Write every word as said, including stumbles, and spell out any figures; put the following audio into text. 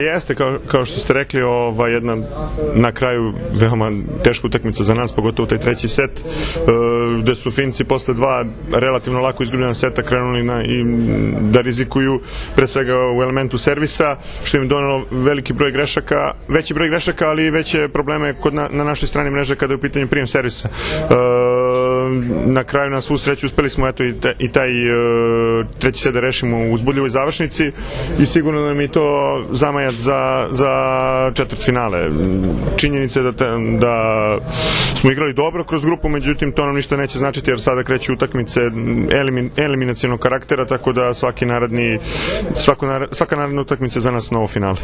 Jeste, kao, kao što ste rekli, ova jedna na kraju veoma teška utakmica za nas, pogotovo taj treći set, e, gde su Finci posle dva relativno lako izgubljena seta krenuli na, i da rizikuju pre svega u elementu servisa, što im donalo veliki broj grešaka, veći broj grešaka, ali i veće probleme kod na, na našoj strani mreže kada je u pitanju prijem servisa. E, na kraju, na svu sreću, uspeli smo eto i, te, i taj e, treći set da rešimo u uzbudljivoj završnici i sigurno nam je to zamajac za, za četvrtfinale. Činjenica je da, te, da smo igrali dobro kroz grupu, međutim to nam ništa neće značiti jer sada kreću utakmice elimin, eliminacionog karaktera, tako da svaki naredni, svako, svaka naredna utakmica je za nas novo finale.